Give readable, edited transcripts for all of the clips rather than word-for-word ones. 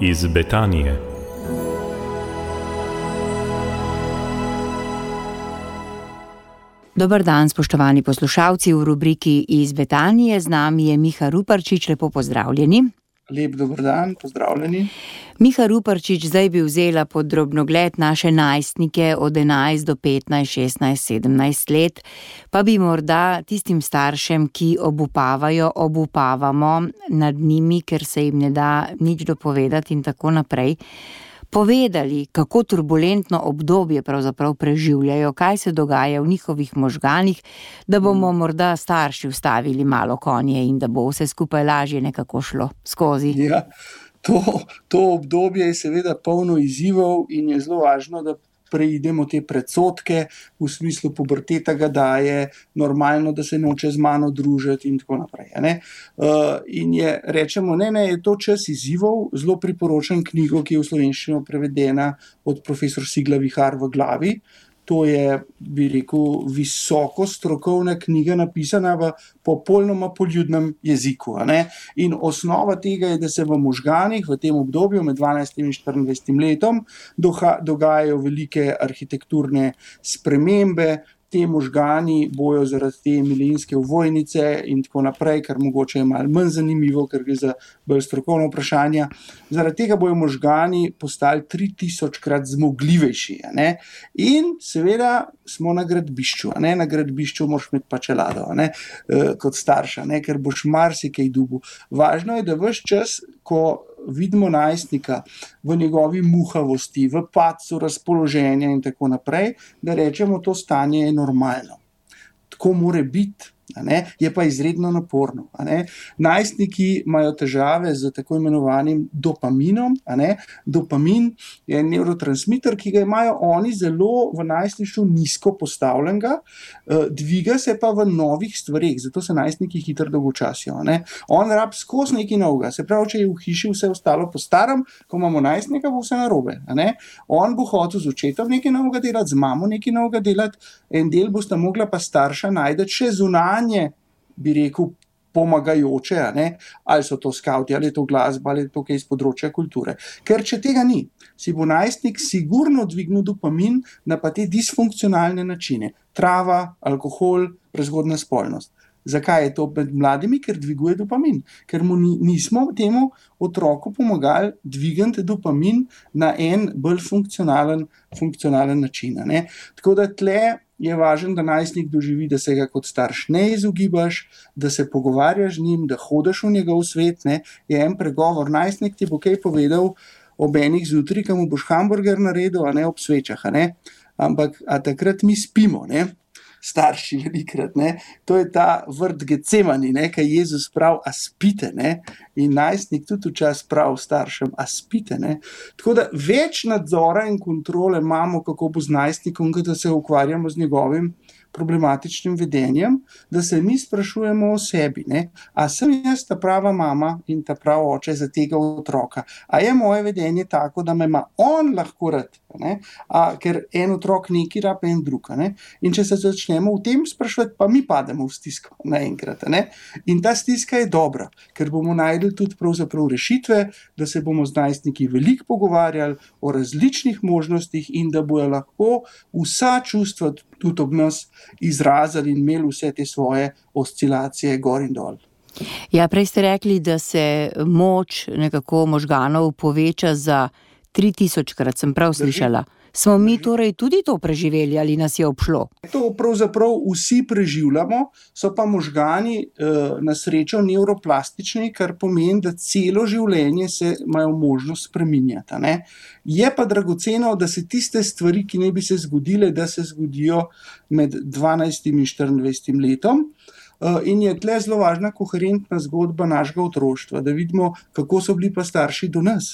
iz Betanije. Dober dan, spoštovani poslušalci, v rubriki iz Betanije. Z nami je Miha Ruparčič, lepo pozdravljeni. Lep dober dan, pozdravljeni. Miha Ruparčič, zdaj bi vzela pod drobnogled naše najstnike od 11 do 15, 16, 17 let, pa bi morda tistim staršem, ki obupavamo nad njimi, ker se jim ne da nič dopovedati in tako naprej, povedali, kako turbulentno obdobje pravzaprav preživljajo, kaj se dogaja v njihovih možganih, da bomo morda starši ustavili malo konje in da bo vse skupaj lažje nekako šlo skozi. Ja, to obdobje je seveda polno izzivov in je zelo važno, da preidemo te predsodke, v smislu puberteta ga daje, normalno, da se noče z mano družiti in tako naprej. In rečemo, je to čas izzivov, zelo priporočam knjigo, ki je v slovenščino prevedena od profesor Sigla Vihar V glavi. To je, bi rekel, visoko strokovna knjiga, napisana v popolnoma poljudnem jeziku. In osnova tega je, da se v možganih v tem obdobju med 12 in 24 letom dogajajo velike arhitekturne spremembe. Te možgani bojo zaradi te milenijske ovojnice in tako naprej, kar mogoče je malo manj zanimivo, ker gre za bolj strokovno vprašanje. Zaradi tega bojo možgani postali 3000-krat zmogljivejši. In seveda smo na gradbišču. Na gradbišču moraš imeti pa čelado, kot starša, ker boš marsikaj dobil. Važno je, da ves čas, ko vidimo najstnika v njegovi muhavosti, v padcu razpoloženja in tako naprej, da rečemo, to stanje je normalno. Tako mora biti. Je pa izredno naporno. Najstniki imajo težave z tako imenovanim dopaminom. Dopamin je nevrotransmiter, ki ga imajo oni zelo v najstništvu nizko postavljenega, dviga se pa v novih stvareh, zato se najstniki hitro dolgočasijo. On rab skozi nekaj novega, se pravi, če je v hiši vse ostalo po starem, ko imamo najstnika, bo vse narobe. On bo hotel z očetom nekaj novega delati, z mamo nekaj novega delati, en del bosta mogla pa starša najti še zunanje, bi rekel, pomagajoče, ali so to skavti, ali je to glasba, ali je to kaj iz področja kulture. Ker če tega ni, si bo najstnik sigurno dvignil dopamin na pa te disfunkcionalne načine. Trava, alkohol, prezgodnja spolnost. Zakaj je to med mladimi? Ker dviguje dopamin. Ker mu nismo temu otroku pomagali dvigati dopamin na en bolj funkcionalen način. Tako da tle je važno, da najstnik doživi, da se ga kot starš ne izogibaš, da se pogovarjaš z njim, da hodiš v njegov svet. Je en pregovor, najstnik ti bo kaj povedal ob enih zjutraj, ko mu boš hamburger naredil, ob svečah. Ampak takrat mi spimo, starši velikrat. To je ta vrt Getsemani, kaj Jezus pravi, a spite. In najstnik tudi včasih pravi staršem, a spite. Tako da več nadzora in kontrole imamo, kako bo z najstnikom, da se ukvarjamo z njegovim problematičnim vedenjem, da se mi sprašujemo o sebi. A sem jaz ta prava mama in ta prav oče za tega otroka? A je moje vedenje tako, da me ima on lahko rad? Ker en otrok neki rab, en drug. In če se začnemo v tem sprašovati, pa mi pademo v stisko naenkrat. In ta stiska je dobra, ker bomo našli tudi pravzaprav rešitve, da se bomo z najstniki veliko pogovarjali o različnih možnostih in da bojo lahko vsa čustva tudi ob nas izrazili in imeli vse te svoje oscilacije gor in dol. Ja, prej ste rekli, da se moč nekako možganov poveča za 3000-krat, sem prav slišala. Smo mi torej tudi to preživeli ali nas je obšlo? To pravzaprav vsi preživljamo, so pa možgani na srečo nevroplastični, kar pomeni, da celo življenje se imajo možnost spreminjati. Je pa dragoceno, da se tiste stvari, ki ne bi se zgodile, da se zgodijo med 12 in 24 letom. In je tle zelo važna koherentna zgodba našega otroštva, da vidimo, kako so bili pa starši do nas,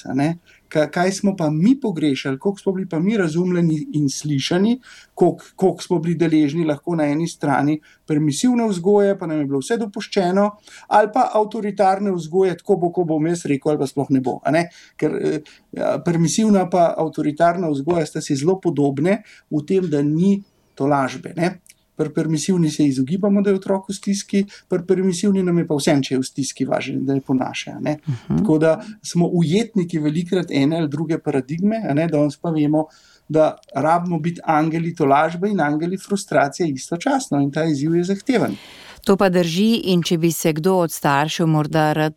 kaj smo pa mi pogrešali, koliko smo bili pa mi razumljeni in slišani, koliko smo bili deležni lahko na eni strani permisivne vzgoje, pa nam je bilo vse dopuščeno, ali pa avtoritarne vzgoje, tako bo, ko bom jaz rekel, ali pa sploh ne bo. Ker permisivna pa avtoritarna vzgoja sta si zelo podobne v tem, da ni tolažbe. Pri permisivni se izogibamo, da je otrok v stiski, pri permisivni nam je pa vsem, če je v stiski, važno, da je ponaša. Tako da smo ujetniki velikrat ene ali druge paradigme, danes pa vemo, da rabimo biti angeli tolažbe in angeli frustracije istočasno in ta izziv je zahteven. To pa drži, in če bi se kdo od staršev morda rad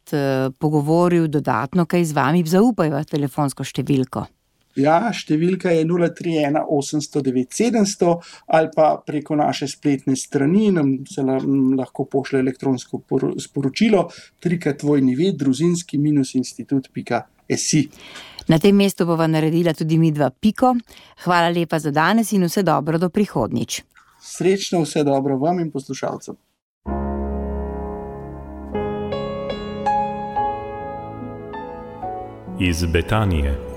pogovoril dodatno kaj z vami, zaupajva telefonsko številko. Ja, številka je 031 800 9700 ali pa preko naše spletne strani nam se lahko pošlje elektronsko sporočilo www.družinski-institut.si. Na tem mestu bova naredila tudi midva piko. Hvala lepa za danes in vse dobro do prihodnjič. Srečno, vse dobro vam in poslušalcem. Iz Betanije.